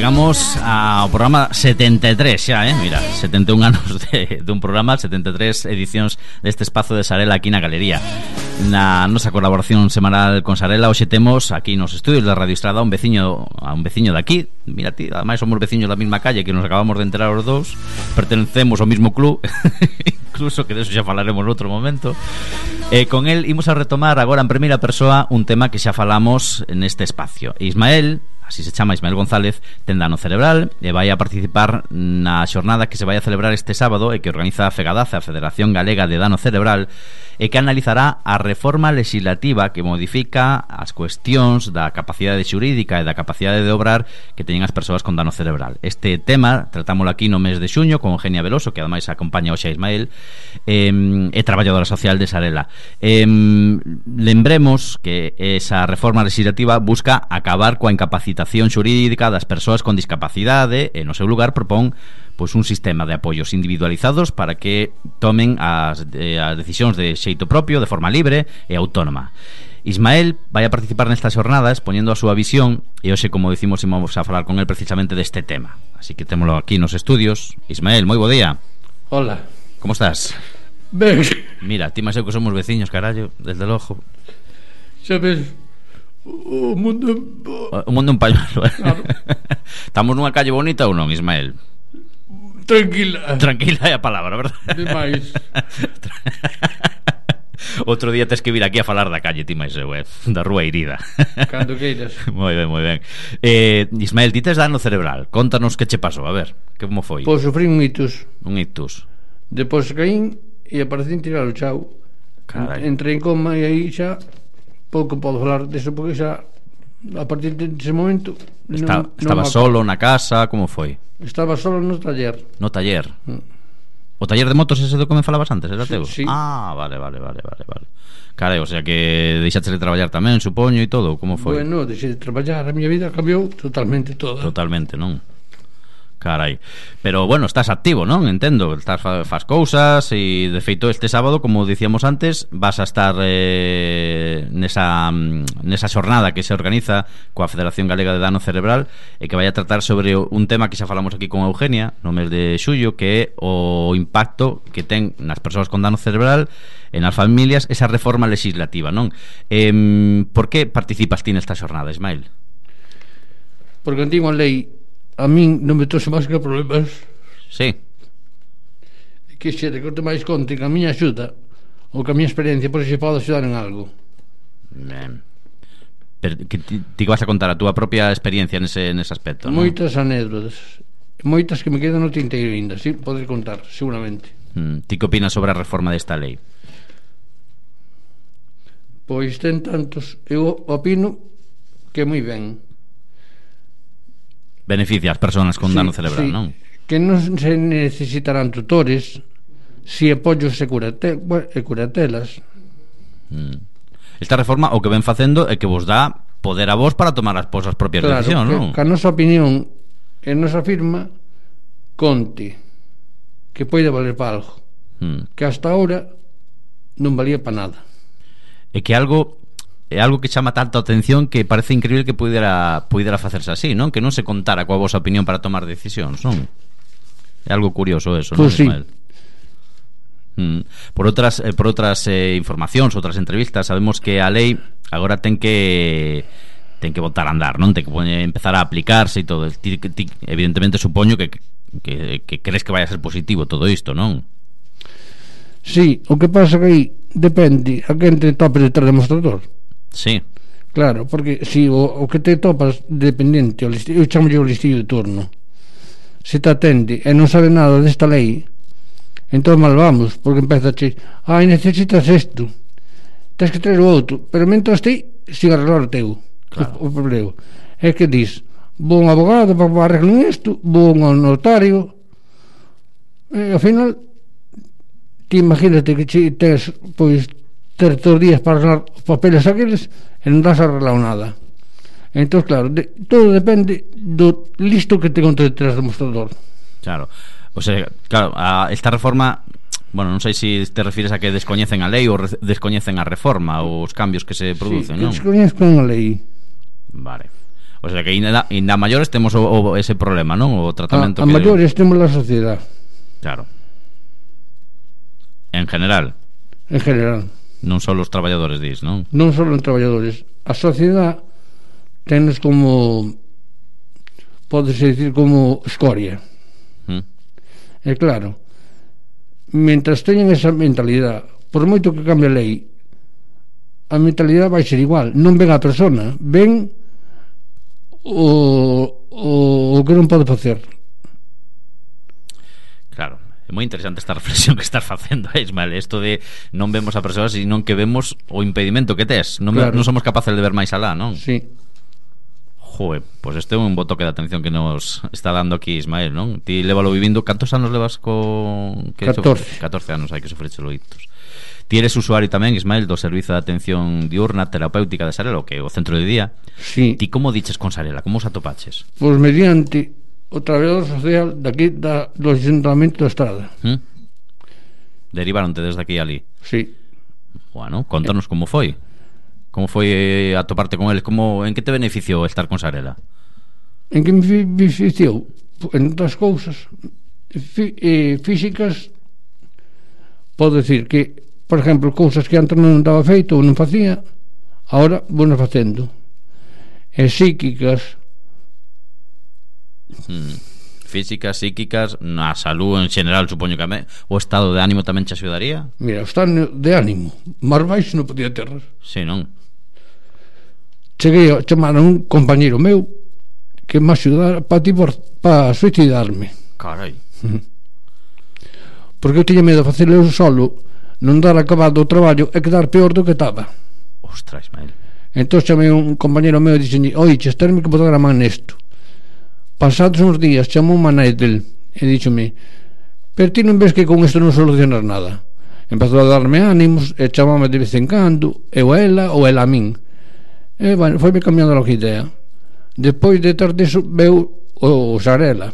Chegamos ao programa 73 xa, mira, 71 anos dun programa, 73 edicións deste espazo de Sarela aquí na Galería. Na nosa colaboración semanal con Sarela, hoxe temos aquí nos estudios da Radio Estrada a un veciño de aquí. Mira ti, ademais somos veciños da mesma calle que nos acabamos de enterar os dous. Pertencemos ao mesmo club, incluso que de eso xa falaremos noutro momento. Con el imos a retomar agora en primeira persoa un tema que xa falamos neste espacio. Ismael, así se chama, Ismael González, ten dano cerebral e vai a participar na xornada que se vai a celebrar este sábado e que organiza a FEGADACE, a Federación Galega de Dano Cerebral, e que analizará a reforma legislativa que modifica as cuestións da capacidade xurídica e da capacidade de obrar que teñen as persoas con dano cerebral. Este tema tratámoslo aquí no mes de xuño con Eugenia Veloso, que ademais acompaña hoxe a Ismael, é traballadora social de Sarela. Lembremos que esa reforma legislativa busca acabar coa incapacitación xurídica das persoas con discapacidade e no seu lugar propón pois un sistema de apoios individualizados para que tomen as decisións de xeito propio, de forma libre e autónoma. Ismael vai a participar nestas xornadas poñendo a súa visión e hoxe, como dicimos, imos a falar con el precisamente deste tema. Así que témolo aquí nos estudios. Ismael, moi bo día. Hola. Como estás? Ben. Mira, ti máis eu que somos veciños, carallo, desde logo. Sabes, o mundo un pañuelo, Claro. Estamos nunha calle bonita ou non, Ismael? Tranquila. Tranquila é a palabra, verdad? Demais. Outro día tes que vir aquí a falar da calle, ti máis eu, da rúa Irida. Cando queiras. Moi ben, moi ben. Ismael, ti tes dano cerebral. Contanos que che pasou, a ver, como foi? Pois sofrí un ictus. Un ictus. Depois caín e aparecín tirar o chao. Carai. Entrei en coma e aí xa pouco podo falar deso porque xa a partir dese momento Estaba solo na casa, como foi? Estaba solo no taller. No taller. O taller de motos ese do que me falabas antes, era teu? Sí. Ah, vale. Carai, o sea que deixaste de traballar tamén, supoño, e todo, como foi? Bueno, deixei de traballar, a miña vida cambiou totalmente toda. Totalmente, non? Carai. Pero bueno, estás activo, non? Entendo, estás fas cousas e de feito este sábado, como dicíamos antes, vas a estar nesa xornada que se organiza coa Federación Galega de Dano Cerebral e que vai a tratar sobre un tema que xa falamos aquí con Eugenia no mes de xullo, que é o impacto que ten nas persoas con dano cerebral e nas familias esa reforma legislativa, non? Por que participas ti nesta xornada, Ismael? Porque a antigua lei a min non me trouxe máis que problemas. Sí. Que xere que te máis conte que a miña axuda ou que a miña experiencia por se pode axudar en algo. Pero que ti vas a contar a túa propia experiencia nese aspecto, non? Moitas anécdotas, moitas que me quedan no tinteiro ainda, sí, podes contar, seguramente. Ti que opinas sobre a reforma desta lei? Pois ten tantos, eu opino que moi ben. Beneficia as persoas con dano cerebral, sí, non? Que non se necesitarán tutores, si apoios e curatelas. Esta reforma o que ven facendo é que vos dá poder a vos para tomar as vosas propias decisións, non? Que a nosa opinión e a nosa firma conte que pode valer para algo, que hasta ahora non valía para nada. É que é algo que chama tanto a atención que parece increíble que pudera facerse así, non? Que non se contara coa vosa opinión para tomar decisións, non? É algo curioso eso, non, sí. Ismael? Por outras informacións, outras entrevistas, sabemos que a lei agora ten que botar a andar, non? Ten que empezar a aplicarse e todo. Ti, evidentemente supoño que crees que vai a ser positivo todo isto, non? Sí, o que pasa que aí depende a quen te topes detrás do mostrador. Sí. Claro, porque si o que te topas dependente, eu chamo o listillo de turno, se te atende e non sabe nada desta lei, entón mal vamos, porque empeza a che, necesitas isto, tens que traer o outro, pero mentras ti siga arreglar o teu, claro. O problema é que dis, vou un abogado para arreglar isto, vou un notario, e ao final ti imagínate que tes, pois, ter todos os días para arreglar os papeles aqueles e non das arreglado nada. Entón, claro, todo depende do listo que te conte detrás do mostrador. Claro, o sea, claro, esta reforma, bueno, non sei se te refires a que descoñecen a lei ou descoñecen a reforma ou os cambios que se producen, sí, non? Descoñecen a lei. Vale. O sea que ainda maiores temos ese problema, non? O tratamento a maiores temos a sociedade. Claro. En general. En general. Non só os traballadores, dis, non? Non só os traballadores. A sociedade tenes como, pódese dicir, como escoria. E claro, mentras teñen esa mentalidade, por moito que cambie a lei, a mentalidade vai ser igual. Non ven a persona, ven o que non pode facer. Claro, é moi interesante esta reflexión que estás facendo, Ismael. Isto de non vemos a persoa, senón que vemos o impedimento que tes. Non, claro. Non somos capaces de ver máis alá, non? Sí. Joder, pois este é un bo toque de atención que nos está dando aquí Ismael, non? Ti lévalo vivindo, cantos anos levas con... 14 anos hai que sufrirche loitos. Ti eres usuario tamén, Ismael, do Servizo de Atención Diurna Terapéutica de Sarela, que é o centro de día. Sí. Ti como diches con Sarela? Como os atopaches? Pois mediante o traballador social daqui do Asentamento da Estrada. Derivaronte desde aquí a ali? Sí. Bueno, contanos como foi. Como foi atoparte con eles? En que te beneficiou estar con Sarela? En que me beneficiou? En outras cousas físicas, podo decir que, por exemplo, cousas que antes non daba feito ou non facía, agora vou facendo. E psíquicas, físicas, psíquicas, na salud en general, supoño que o estado de ánimo tamén te axudaría? Mira, o estado de ánimo máis baixo non podía ter. Sí, non? Cheguei a chamar a un compañeiro meu que me axudara para suicidarme. Carai. Porque eu tiña medo de facelo eu solo, non dar acabado o traballo e quedar peor do que estaba. Ostras, Ismael. Entón chamei un compañeiro meu e dixenlle: oiches, terme que botar a man nesto. Pasados uns días chamou un nai del e díxome: pero ti non ves que con isto non solucionas nada? Empezou a darme ánimos e chamame de vez en cando, eu a ela ou ela a min. E bueno, foi me cambiando a idea. Depois de ter disso veu o Sarela.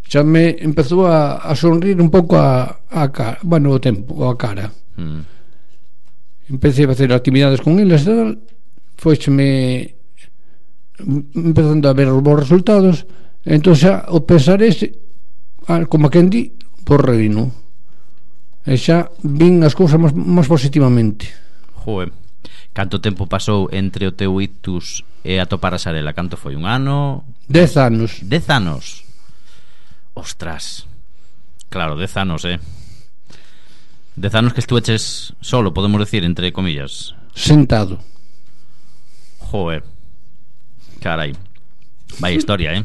Xa me empezou a sonrir un pouco a cara, bueno, o tempo, a cara. Empecé a facer actividades con eles e tal, foixeme empezando a ver os bons resultados. Entón xa o pensar ese, como quen di, por reino, e xa vin as cousas máis positivamente. Joder, canto tempo pasou entre o teu ictus e atopar a Sarela? Canto foi? Un ano? 10 anos. 10 anos? Ostras. Claro, 10 anos, 10 anos que estuveches solo, podemos decir, entre comillas. Sentado. Joder. Carai. Vaya historia,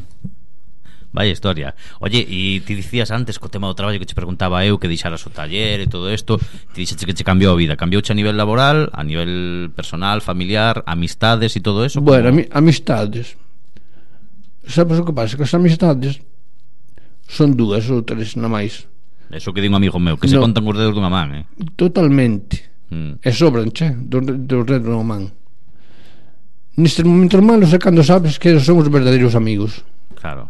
Vaya historia. Oye, e ti dicías antes co tema do traballo que che preguntaba eu, que deixaras o taller e todo isto, ti dixeche que che cambiou a vida. Cambiouche a nivel laboral, a nivel personal, familiar, amistades e todo eso? Bueno, amistades. Sabes o que pasa? Que as amistades son 2 ou 3 na máis. Eso que di un amigo meu, que se contan os dedos dunha man, Totalmente. E sobran, dos dedos dunha man. Nestes momentos malos é cando sabes que son os verdadeiros amigos. Claro.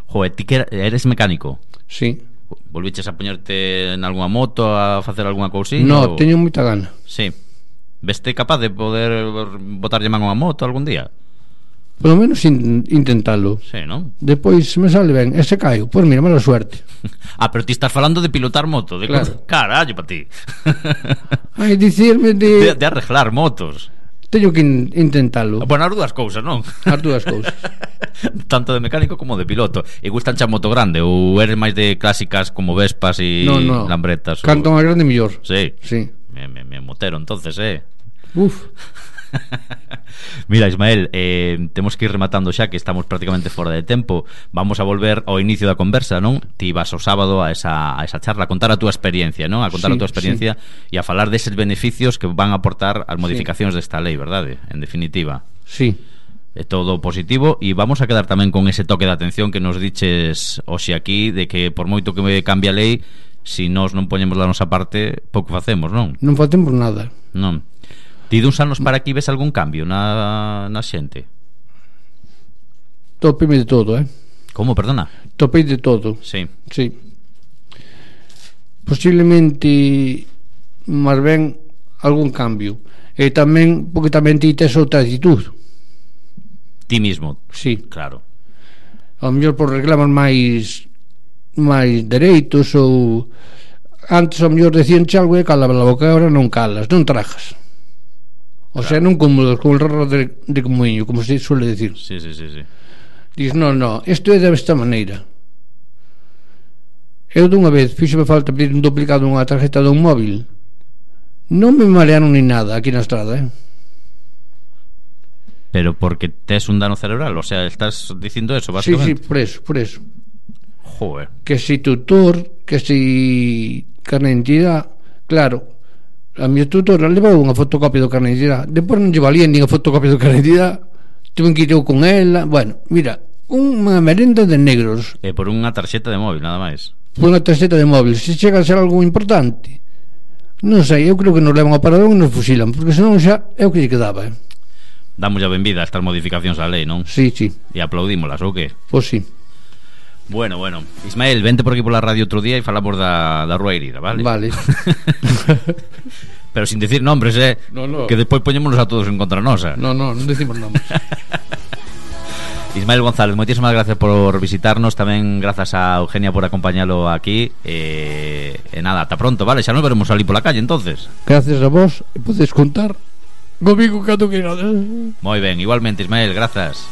Joder, ti que eres mecánico? Sí. Volviches a poñerte en algunha moto, a facer algunha cousiña? No, teño moita gana. Sí. Veste capaz de poder botarlle man a unha moto algún día? Polo menos intentalo. Sí, non? Depois se me sale ben, e se caio, pois mira, mala suerte. Pero ti estás falando de pilotar moto, de claro. Carallo para ti. Ai, dicirme de arreglar motos. Teño que intentalo. Bueno, as dúas cousas, non? As dúas cousas. Tanto de mecánico como de piloto. E gustan xa moto grande? Ou eres máis de clásicas como Vespas e Lambretas? Canto máis grande mellor. Sí. Me motero entonces, Uf. Mira, Ismael, temos que ir rematando xa, que estamos prácticamente fora de tempo. Vamos a volver ao inicio da conversa, non? Ti vas o sábado a esa charla a contar a túa experiencia, non? A contar a túa experiencia e a falar deses beneficios que van a aportar as modificacións desta lei, verdade? En definitiva. Sí. É todo positivo e vamos a quedar tamén con ese toque de atención que nos diches hoxe aquí, de que por moito que me cambie a lei, se nós non poñemos da nosa parte, pouco facemos, non? Non facemos nada. Non. Ti duns anos para aquí ves algún cambio na xente? Topei de todo, Como, perdona? Topei de todo. Sí. Posiblemente máis ben algún cambio. E tamén, porque tamén ti tes outra actitud. Ti mismo. Sí. Claro. Ao mellor por reclamas máis dereitos, ou antes ao mellor decíanche algo e calaba a boca, agora non calas, non trajas. O sea, non cómodos con el raro de comuño, como se suele decir. Sí. Diz, no, isto é desta maneira. Eu dunha vez fíxome falta pedir un duplicado dunha tarjeta dun móvil. Non me marearon ni nada aquí na estrada, Pero porque tes un dano cerebral, o sea, estás dicindo eso, básicamente. Sí, por eso. Joder. Que si tutor, que si carne de identidade, claro, a mi tutora levou unha fotocopia do carne de identidade, depois non lle valía nin a fotocopia do carne de identidade, tuve que ir con ela, bueno, mira, unha merenda de negros. Por unha tarxeta de móvil, nada máis. Por unha tarxeta de móvil, se chega a ser algo importante, non sei, eu creo que nos levan ao paradón e nos fusilan, porque senón xa é o que lle quedaba, Damos a benvida a estas modificacións á lei, non? Sí. E aplaudímolas, ou que? Pois sí. Bueno, Ismael, vente por aquí pola radio outro día e falamos da Rúa Herida, vale? Vale. Pero sin decir nombres, No. que despois poñémonos a todos en contra nosa. Non decimos nombres. Ismael González, moitísimas gracias por visitarnos. Tamén grazas a Eugenia por acompañalo aquí. E nada, ata pronto, vale? Xa nos veremos ali pola calle, entonces. Gracias a vos, e podes contar comigo cando queirades. Moi ben, igualmente, Ismael, grazas.